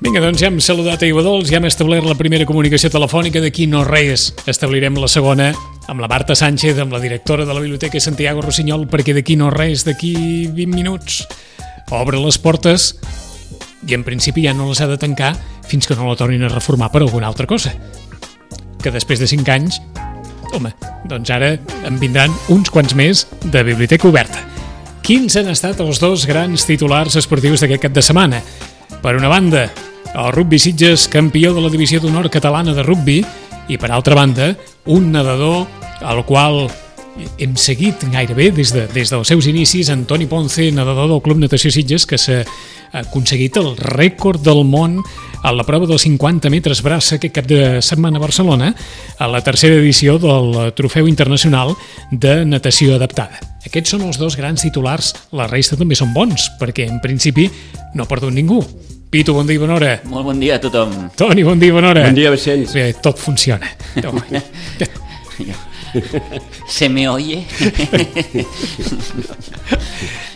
Vinga, doncs ja hem saludat a Aiguadols, ja hem establert la primera comunicació telefònica, d'aquí no res. Establirem la segona amb la Marta Sánchez, amb la directora de la Biblioteca Santiago Rossinyol, perquè d'aquí no res, d'aquí 20 minuts, obre les portes i en principi ja no les ha de tancar fins que no la tornin a reformar per alguna altra cosa. Que després de 5 anys, home, doncs ara en vindran uns quants més de biblioteca oberta. Quins han estat els dos grans titulars esportius d'aquest cap de setmana? Per una banda, el Rugby Sitges, campió de la divisió d'honor catalana de rugbi, i per altra banda, un nedador al qual hem seguit gairebé des dels seus inicis, Antoni Ponce, nedador del Club Natació Sitges, que s'ha aconseguit el rècord del món a la prova dels 50 metres braça aquest cap de setmana a Barcelona, a la tercera edició del Trofeu Internacional de Natació Adaptada. Aquests són els dos grans titulars, la resta també són bons, perquè en principi no ha perdut ningú. Pitu, bon dia i bona hora. Molt bon dia a tothom. Toni, bon dia i bona hora. Bon dia, Vicenç. Bé, tot funciona. Se me oye?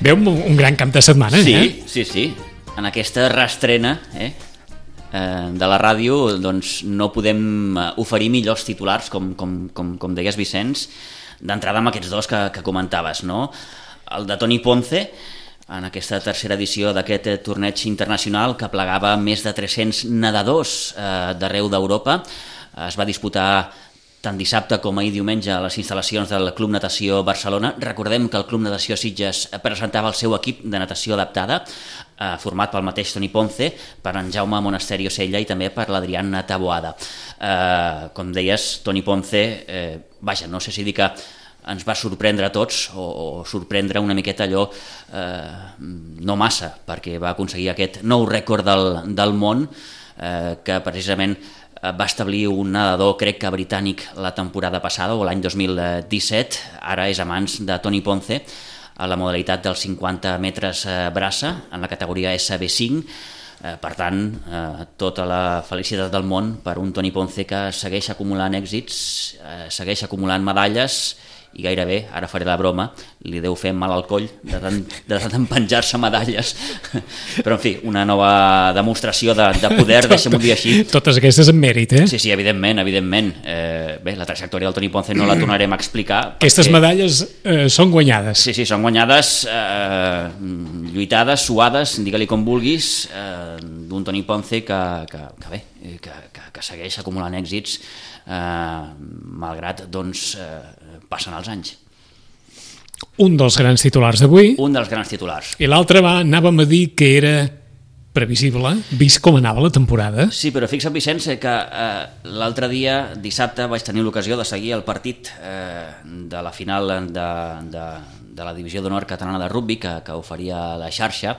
Veu un gran camp de setmana, sí, sí. En aquesta reestrena de la ràdio doncs, no podem oferir millors titulars, com deies, Vicenç, d'entrada amb aquests dos que comentaves, no? El de Toni Ponce, en aquesta tercera edició d'aquest torneig internacional que plegava més de 300 nedadors d'arreu d'Europa. Es va disputar tant dissabte com ahir diumenge a les instal·lacions del Club Natació Barcelona. Recordem que el Club Natació Sitges presentava el seu equip de natació adaptada, format pel mateix Toni Ponce, per en Jaume Monasterio Sella i també per l'Adrián Taboada. Com deies, Toni Ponce, no sé si dir que ens va sorprendre a tots o sorprendre una miqueta allò no massa, perquè va aconseguir aquest nou rècord del món que precisament va establir un nedador, crec que britànic, la temporada passada o l'any 2017. Ara és a mans de Toni Ponce a la modalitat dels 50 metres braça en la categoria SB5. Per tant, tota la felicitat del món per un Toni Ponce que segueix acumulant èxits, segueix acumulant medalles i gairebé, ara faré la broma, li deu fer mal al coll de tant penjar-se medalles. Però, en fi, una nova demostració de poder, deixem-ho dir així. Totes aquestes en mèrit, eh? Sí, evidentment. Bé, la trajectòria del Toni Ponce no la tornarem a explicar. Aquestes medalles són guanyades. Sí, són guanyades, lluitades, suades, digue-li com vulguis, d'un Toni Ponce que segueix acumulant èxits, malgrat, doncs, passen els anys. Un dels grans titulars d'avui. Un dels grans titulars. I l'altre anàvem a dir que era previsible, vist com anava la temporada. Sí, però fixa't, Vicenç, que l'altre dia, dissabte, vaig tenir l'ocasió de seguir el partit de la final de la divisió d'honor catalana de rugbi que oferia la xarxa.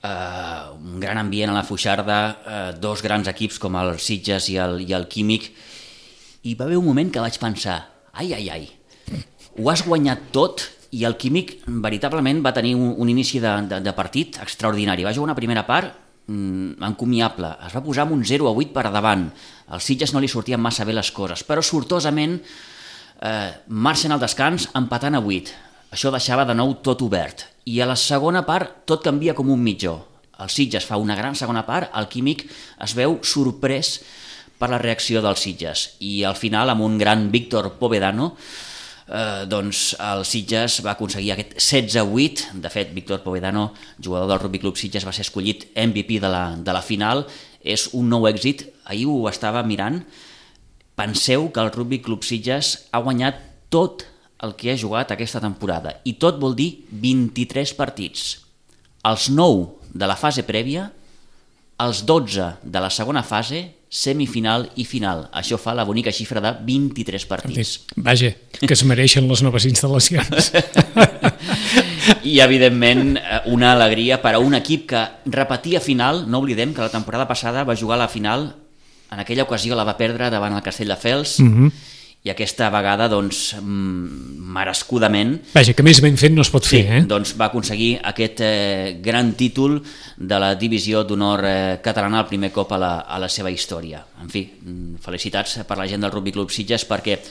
Un gran ambient a la Foixarda, dos grans equips com el Sitges i el Químic, i va haver un moment que vaig pensar, ai, ho has guanyat tot, i el Químic veritablement va tenir un inici de partit extraordinari. Va jugar una primera part encomiable, es va posar amb un 0-8 per davant, al Sitges no li sortien massa bé les coses, però sortosament marxen al descans empatant a 8. Això deixava de nou tot obert, i a la segona part tot canvia com un mitjó. El Sitges fa una gran segona part, el Químic es veu sorprès per la reacció dels Sitges, i al final, amb un gran Víctor Povedano, doncs el Sitges va aconseguir aquest 16-8. De fet, Víctor Povedano, jugador del Rugby Club Sitges, va ser escollit MVP de la final. És un nou èxit. Ahir ho estava mirant. Penseu que el Rugby Club Sitges ha guanyat tot el que ha jugat aquesta temporada, i tot vol dir 23 partits. Els 9 de la fase prèvia, els 12 de la segona fase, semifinal i final. Això fa la bonica xifra de 23 partits. Vaja, que es mereixen les noves instal·lacions. I, evidentment, una alegria per a un equip que repetia final. No oblidem que la temporada passada va jugar a la final, en aquella ocasió la va perdre davant el Castelldefels, i aquesta vegada, doncs, merescudament... Vaja, que més ben fet no es pot fer, eh? Doncs va aconseguir aquest gran títol de la divisió d'honor catalana el primer cop a la seva història. En fi, felicitats per la gent del Rugby Club Sitges, perquè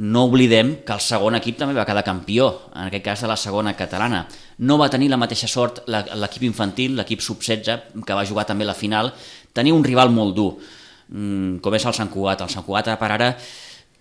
no oblidem que el segon equip també va quedar campió, en aquest cas de la segona catalana. No va tenir la mateixa sort l'equip infantil, l'equip sub-16, que va jugar també la final, tenir un rival molt dur, com és el Sant Cugat. El Sant Cugat per ara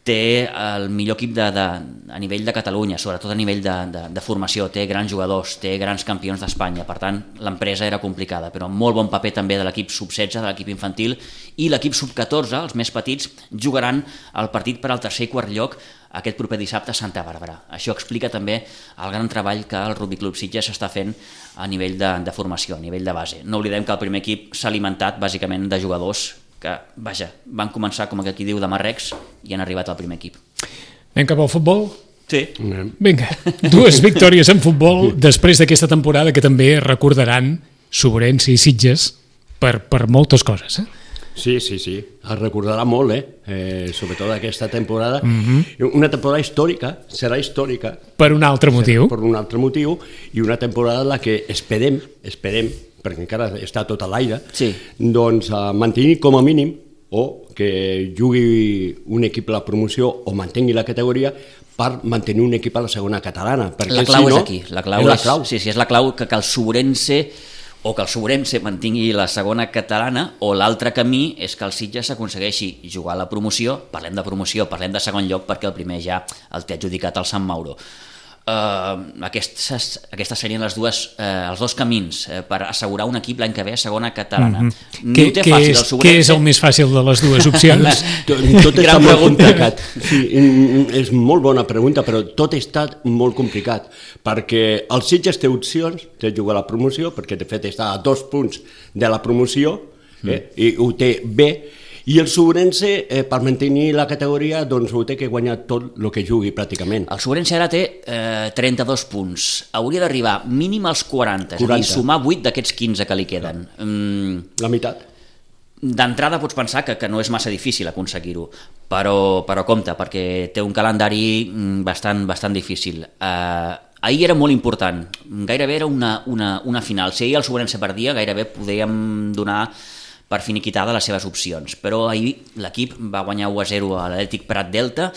té el millor equip a nivell de Catalunya, sobretot a nivell de formació, té grans jugadors, té grans campions d'Espanya, per tant l'empresa era complicada, però molt bon paper també de l'equip sub-16, de l'equip infantil, i l'equip sub-14, els més petits, jugaran el partit per al tercer i quart lloc aquest proper dissabte a Santa Bàrbara. Això explica també el gran treball que el Rugby Club Sitges està fent a nivell de formació, a nivell de base. No oblidem que el primer equip s'ha alimentat bàsicament de jugadors que, vaja, van començar, com aquí diu, de marrecs i han arribat al primer equip. Anem cap al futbol? Sí. Vinga, 2 victòries en futbol després d'aquesta temporada que també recordaran Sobrense i Sitges per moltes coses. Sí, es recordarà molt, sobretot aquesta temporada. Una temporada històrica, serà històrica. Per un altre motiu. Per un altre motiu, i una temporada en la que esperem, perquè encara està tot a l'aire, doncs mantenir com a mínim, o que jugui un equip a la promoció o mantengui la categoria per mantenir un equip a la segona catalana. La clau és aquí, la clau és la clau que el Sobrense mantingui la segona catalana, o l'altre camí és que el Sitges s'aconsegueixi jugar a la promoció. Parlem de promoció, parlem de segon lloc, perquè el primer ja el té adjudicat el Sant Mauro. Aquestes serien els dos camins per assegurar un equip l'any que ve a segona catalana. Què és el més fàcil de les dues opcions? Tot està molt complicat. Sí, és molt bona pregunta, però tot està molt complicat, perquè el Sitges té opcions de jugar a la promoció, perquè de fet està a 2 punts de la promoció, i ho té bé. I el Sobrense, per mantenir la categoria, doncs ho té que guanyar tot el que jugui pràcticament. El Sobrense ara té 32 punts. Hauria d'arribar mínim als 40, és a dir, sumar 8 d'aquests 15 que li queden. La meitat. D'entrada pots pensar que no és massa difícil aconseguir-ho, però compte, perquè té un calendari bastant difícil. Ahir era molt important, gairebé era una final. Si ahir el Sobrense perdia, gairebé podíem donar per finiquitada les seves opcions, però ahir l'equip va guanyar 1-0 a l'Atlètic Prat Delta.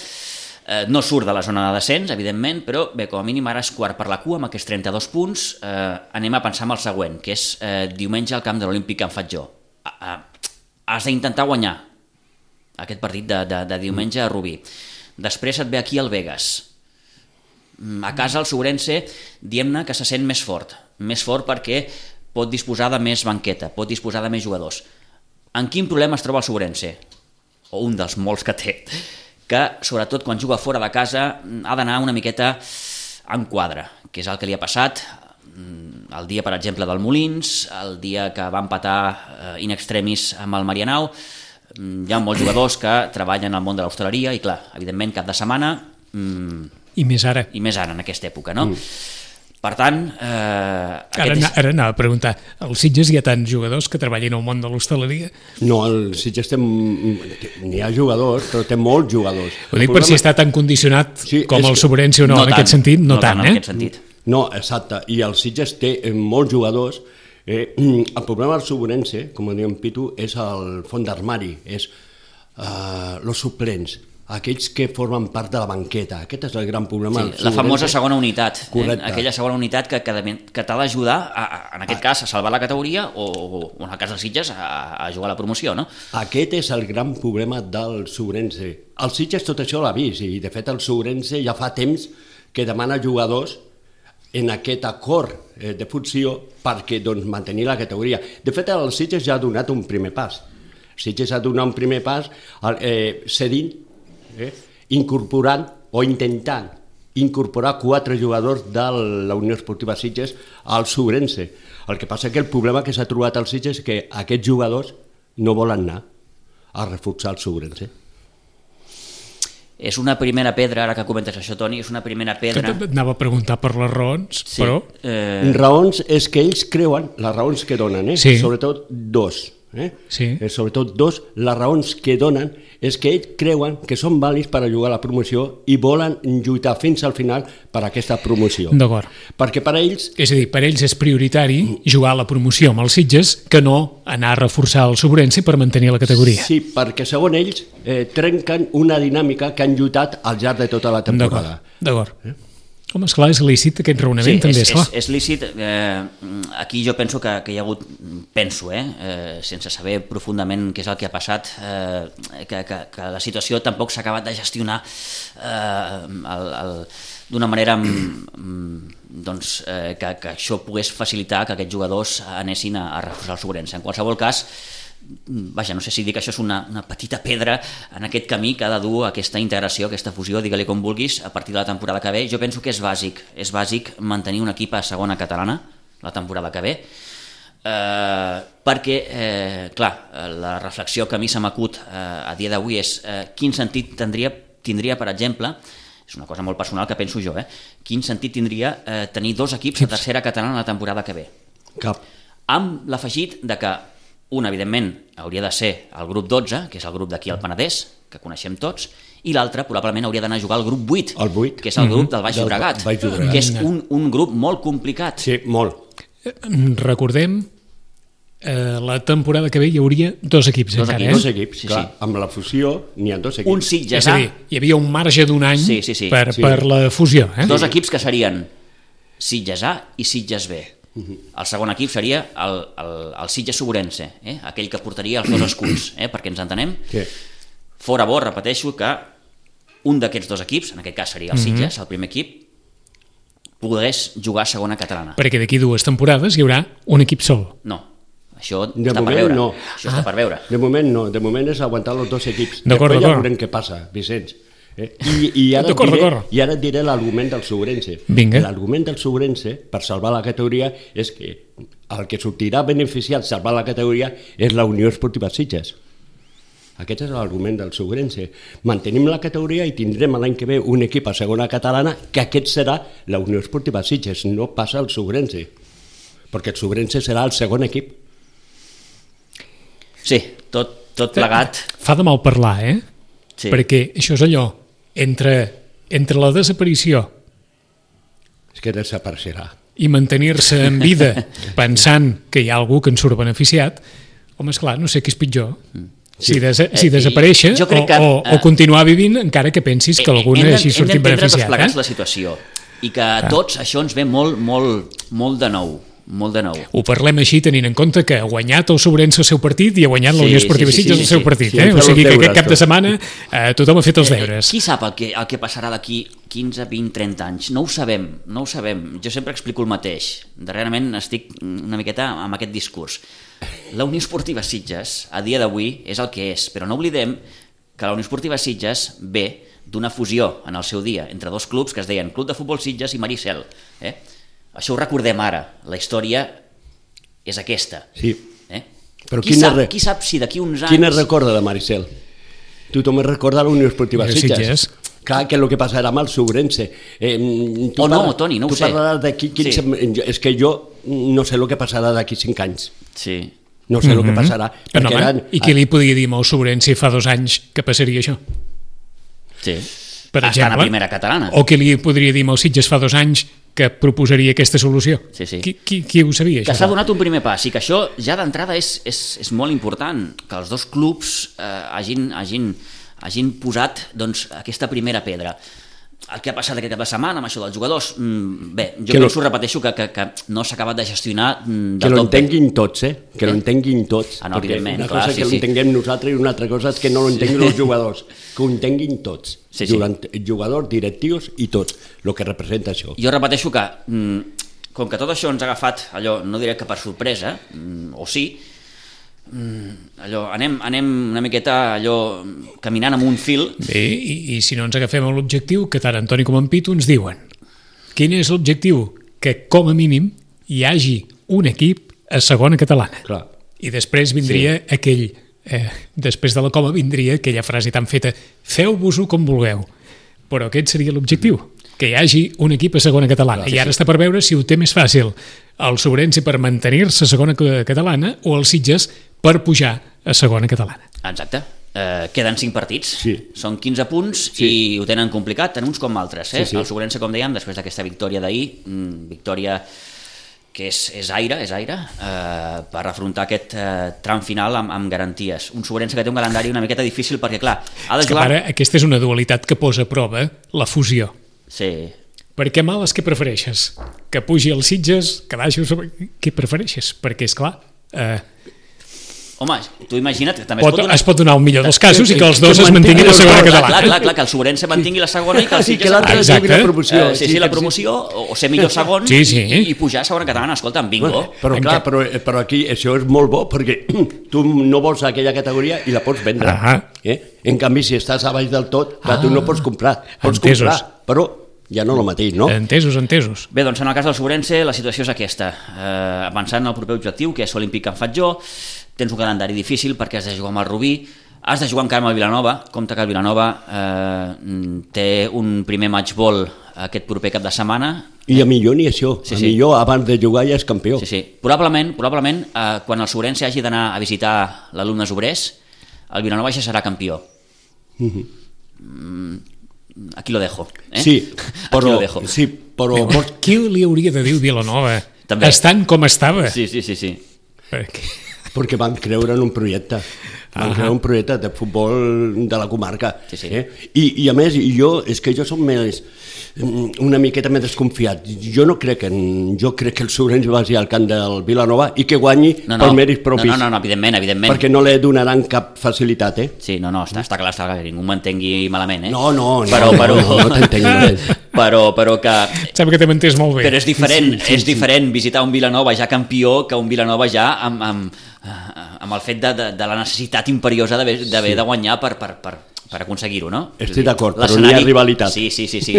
No surt de la zona de descens, evidentment, però bé, com a mínim ara és quart per la cua amb aquests 32 punts. Anem a pensar en el següent, que és diumenge al camp de l'Olímpic Can Fatjó. Has d'intentar guanyar aquest partit de diumenge a Rubí. Després et ve aquí el Vegas. A casa el Sobrense, diem-ne que se sent més fort perquè pot disposar de més banqueta, pot disposar de més jugadors. En quin problema es troba el Sobrense? O un dels molts que té, que sobretot quan juga fora de casa ha d'anar una miqueta en quadre, que és el que li ha passat el dia, per exemple, del Molins, el dia que va empatar in extremis amb el Marianao. Hi ha molts jugadors que treballen al món de l'hostaleria i, clar, evidentment, cap de setmana... I més ara. I més ara, en aquesta època, no? Per tant... Ara anava a preguntar, al Sitges hi ha tants jugadors que treballin al món de l'hostaleria? No, al Sitges n'hi ha jugadors, però té molts jugadors. Ho dic per si està tan condicionat com el Sobrense o no, en aquest sentit, no tant, en aquest sentit. No, exacte, i el Sitges té molts jugadors. El problema del Sobrense, com diu en Pitu, és el fons d'armari, és els suplents, aquells que formen part de la banqueta. Aquest és el gran problema. Sí, la famosa segona unitat. Correcte. Aquella segona unitat que t'ha d'ajudar, en aquest cas, a salvar la categoria o en el cas dels Sitges, a jugar a la promoció, no? Aquest és el gran problema del Sobrense. El Sitges tot això l'ha vist, i de fet el Sobrense ja fa temps que demana jugadors en aquest acord de fusió perquè mantenir la categoria. De fet, el Sitges ja ha donat un primer pas. El Sitges ha donat un primer pas cedint, incorporant o intentant incorporar 4 jugadors de la Unió Esportiva Sitges al Sobrense. El que passa que el problema que s'ha trobat al Sitges és que aquests jugadors no volen anar a reforçar el Sobrense. És una primera pedra, ara que comentes això, Toni, és una primera pedra... Anava a preguntar per les raons, però... Raons és que ells creuen, les raons que donen, sobretot dos. Sobretot dos, les raons que donen és que ells creuen que són vàlids per a jugar a la promoció i volen lluitar fins al final per a aquesta promoció. D'acord. Perquè per a ells... És a dir, per ells és prioritari jugar a la promoció amb els Sitges que no anar a reforçar el Sobrense per mantenir la categoria. Sí, perquè segons ells trenquen una dinàmica que han lluitat al llarg de tota la temporada. D'acord. Home, esclar, és lícit aquest raonament, també, esclar. És lícit. Aquí jo penso que hi ha hagut, sense saber profundament què és el que ha passat, que la situació tampoc s'ha acabat de gestionar d'una manera que això pogués facilitar que aquests jugadors anessin a reforçar el Sobrense. En qualsevol cas, no sé si dir que això és una petita pedra en aquest camí que ha de dur aquesta integració, aquesta fusió, digue-li com vulguis, a partir de la temporada que ve. Jo penso que és bàsic mantenir un equip a segona catalana la temporada que ve, perquè, clar, la reflexió que a mi se m'acut a dia d'avui és quin sentit tindria, per exemple, és una cosa molt personal que penso jo, quin sentit tindria tenir 2 equips a tercera catalana la temporada que ve. Cap. Amb l'afegit de que un, evidentment, hauria de ser el grup 12, que és el grup d'aquí al Penedès, que coneixem tots, i l'altre probablement hauria d'anar a jugar al grup 8, que és el grup del Baix Llobregat, que és un grup molt complicat. Sí, molt. Recordem, la temporada que ve hi hauria 2 equips encara, Dos equips, sí, clar, amb la fusió n'hi ha 2 equips. Un Sitges És a dir, hi havia un marge d'1 any per la fusió. 2 equips que serien Sitges A i Sitges B. El segon equip seria el Sitges Sobrense, aquell que portaria els 2 escuts, perquè ens entenem. Sí. Fora bo, repeteixo, que un d'aquests 2 equips, en aquest cas seria el Sitges, el primer equip, pogués jugar a segona catalana. Perquè d'aquí 2 temporades hi haurà un equip sol. No, això està per veure. No. Això està per veure. De moment no, de moment és aguantar els 2 equips. D'acord. Ja veurem què passa, Vicenç. I ara et diré l'argument del Sobrense. L'argument del Sobrense per salvar la categoria és que el que sortirà beneficiat salvar la categoria és la Unió Esportiva Sitges. Aquest és l'argument del Sobrense. Mantenim la categoria i tindrem l'any que ve un equip a segona catalana, que aquest serà la Unió Esportiva Sitges, no passa el Sobrense, perquè el Sobrense serà el segon equip. Sí, tot plegat. Fa de mal parlar, Sí. Perquè això és allò, entre la desaparició és que desapareixerà i mantenir-se en vida pensant que hi ha algú que en surt beneficiat, home, esclar, no sé què és pitjor. Si desaparèixer o continuar vivint encara que pensis que algú hagi sortit beneficiat. Hem d'entendre tots plegats la situació i que a tots això ens ve molt de nou. Molt de nou. Ho parlem així tenint en compte que ha guanyat el Sobrense el seu partit i ha guanyat la Unió Esportiva Sitges el seu partit. O sigui que aquest cap de setmana tothom ha fet els deures. Qui sap el que passarà d'aquí 15, 20, 30 anys? No ho sabem. Jo sempre explico el mateix. Darrerament estic una miqueta amb aquest discurs. La Unió Esportiva Sitges, a dia d'avui, és el que és, però no oblidem que la Unió Esportiva Sitges ve d'una fusió en el seu dia entre 2 clubs que es deien Club de Futbol Sitges i Maricel. Això ho recordem ara, la història és aquesta. Sí. Però qui sap si d'aquí uns anys... Qui ne recorda de Maricel? Tothom es recorda la Unió Esportiva Sitges. Clar, que és el que passarà amb el Sobrense. Toni, no ho sé. Tu parlaràs d'aquí 15... És que jo no sé el que passarà d'aquí 5 anys. Sí. No sé el que passarà. I qui li podia dir amb el Sobrense fa 2 anys que passaria això? Sí. Per exemple, estan a primera catalana. O qui li podria dir amb el Sitges fa 2 anys que proposaria aquesta solució. Sí. Qui ho sabia, això? Que s'ha donat un primer pas i que això ja d'entrada és molt important, que els 2 clubs hagin posat aquesta primera pedra. El que ha passat aquest cap de setmana amb això dels jugadors, repeteixo que no s'ha acabat de gestionar del tot. Que l'entenguin tots, Que l'entenguin tots. No, evidentment, una cosa és que l'entenguem nosaltres i una altra cosa és que no l'entenguin els jugadors. Que ho entenguin tots. Jugadors, directius i tots, el que representa això. Jo repeteixo que, com que tot això ens ha agafat, allò, no diré que per sorpresa, o sí, anem una miqueta caminant amb un fil. Bé, i si no ens agafem a l'objectiu, que tant Antoni com en Pitu ens diuen quin és l'objectiu? Que com a mínim hi hagi un equip a segona catalana. Clar. I després vindria després de la coma vindria aquella frase tan feta: feu-vos-ho com vulgueu. Però aquest seria l'objectiu, que hi hagi un equip a segona catalana. I ara està per veure si ho té més fàcil el Sobrense per mantenir-se a segona catalana o el Sitges per pujar a segona catalana. Exacte. Queden 5 partits, són 15 punts i ho tenen complicat, tant uns com altres. El Sobrense, com dèiem, després d'aquesta victòria d'ahir, victòria que és aire, per afrontar aquest tram final amb garanties. Un Sobrense que té un calendari una miqueta difícil perquè, clar, ha de jugar... Aquesta és una dualitat que posa a prova la fusió. Sí. Per què males, què prefereixes? Que pugi els Sitges, que baixi... Què prefereixes? Perquè, esclar... Home, tu imagina't que també es pot donar un millor dels casos i que els dos es mantinguin a la segona catalana. Clar, que el Sobrense mantingui la segona i que el Sitges... la promoció. Sí, la promoció, o ser millor segon i pujar a segona catalana. Escolta, bingo. Però clar, però aquí això és molt bo perquè tu no vols aquella categoria i la pots vendre. En canvi, si estàs a baix del tot, tu no pots comprar. Pots comprar, però ja no el mateix, no? Entesos. Bé, doncs en el cas del Sobrense la situació és aquesta. Avançant al proper objectiu, que és Olímpic Can Fatjó, tens un calendari difícil perquè has de jugar amb el Rubí, has de jugar encara amb el Vilanova. Compte que el Vilanova té un primer matchball aquest proper cap de setmana. I a millor ni això, millor abans de jugar ja és campió. Sí. Probablement quan el Sobrense hagi d'anar a visitar l'Alumnes Obrers, el Vilanova ja serà campió. Aquí lo dejo. Sí, però... Qui li hauria de dir Vilanova? També. Estant com estava. Sí. Perquè van creure en un projecte. Van creure un projecte de futbol de la comarca. Sí. I a més, és que jo soc una miqueta més desconfiat. Jo crec que el Sobrense vagi al camp del Vilanova i que guanyi per mèrits propis. No, evidentment. Perquè no li donaran cap facilitat, Sí, està clar, que ningú m'entengui malament, No, però t'entenc. Però que... Sembla que t'he entès molt bé. Però és diferent visitar un Vilanova ja campió que un Vilanova ja amb el fet de la necessitat imperiosa d'haver de guanyar per aconseguir-ho, no? Estic d'acord, però no hi ha rivalitat. Sí,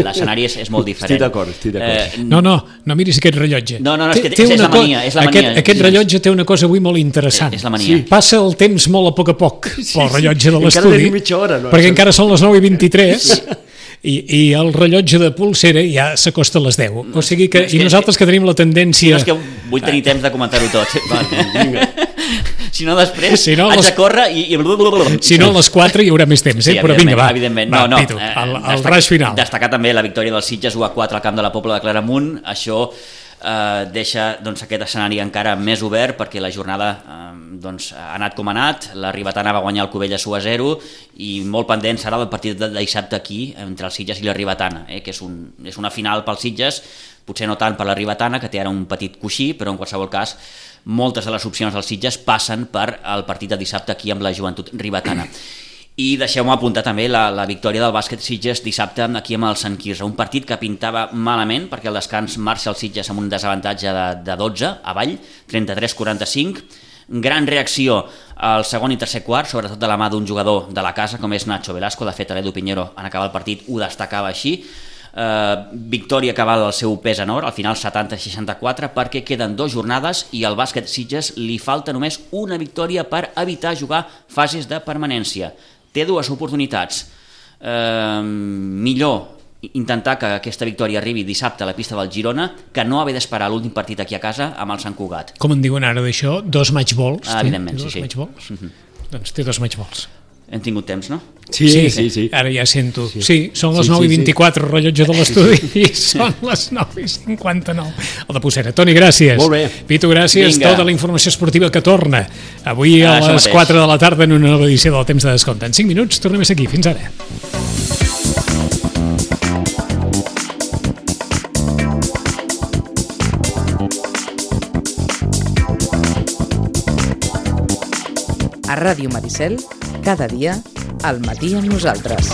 l'escenari és molt diferent. Estic d'acord. No miris aquest rellotge. No, és que és la mania. Aquest rellotge té una cosa avui molt interessant. És la mania. Passa el temps molt a poc pel rellotge de l'estudi. Encara tenim mitja hora, no? Perquè encara són les 9:23 i el rellotge de pulsera ja s'acosta a les 10. O sigui que, i nosaltres que tenim la tendència... No és que vull tenir temps de comentar-ho tot. Vinga. Si no, després haig de córrer i... Si no, a les 4 hi haurà més temps, però vinga, va. Evidentment. Pitu, el raig final. Destacar també la victòria dels Sitges 1-4 al camp de la Pobla de Claramunt. Això deixa aquest escenari encara més obert perquè la jornada ha anat com ha anat. La Ribetana va guanyar el Cubelles 1-0 i molt pendent serà el partit de dissabte aquí entre els Sitges i la Ribetana, que és una final pels Sitges, potser no tant per la Ribetana, que té ara un petit coixí, però en qualsevol cas moltes de les opcions dels Sitges passen per el partit de dissabte aquí amb la Joventut Ribetana. I deixeu-me apuntar també la victòria del bàsquet Sitges dissabte aquí amb el Sant Quirze, un partit que pintava malament perquè al descans marxa el Sitges amb un desavantatge de 12 avall, 33-45, gran reacció al segon i tercer quart, sobretot de la mà d'un jugador de la casa com és Nacho Velasco. De fet, l'Edu Piñero en acabar el partit ho destacava així. Victòria que val el seu pes en or, al final 70-64, perquè queden 2 jornades i al bàsquet Sitges li falta només una victòria per evitar jugar fases de permanència. Té 2 oportunitats. Millor intentar que aquesta victòria arribi dissabte a la pista del Girona que no haver d'esperar l'últim partit aquí a casa amb el Sant Cugat. Com en diuen ara d'això? 2 matchballs? Evidentment, sí. Doncs té 2 matchballs. Hem tingut temps, no? Sí. Ara ja sento. Sí, són les 9:24, rellotge de l'estudi, i són les 9:59. El de Pucera. Toni, gràcies. Molt bé. Pitu, gràcies. Vinga. Tota la informació esportiva que torna avui a les 4 de la tarda en una nova edició del Temps de Descompte. En 5 minuts tornem a ser aquí. Fins ara. A Ràdio Maricel, cada dia, al matí amb nosaltres.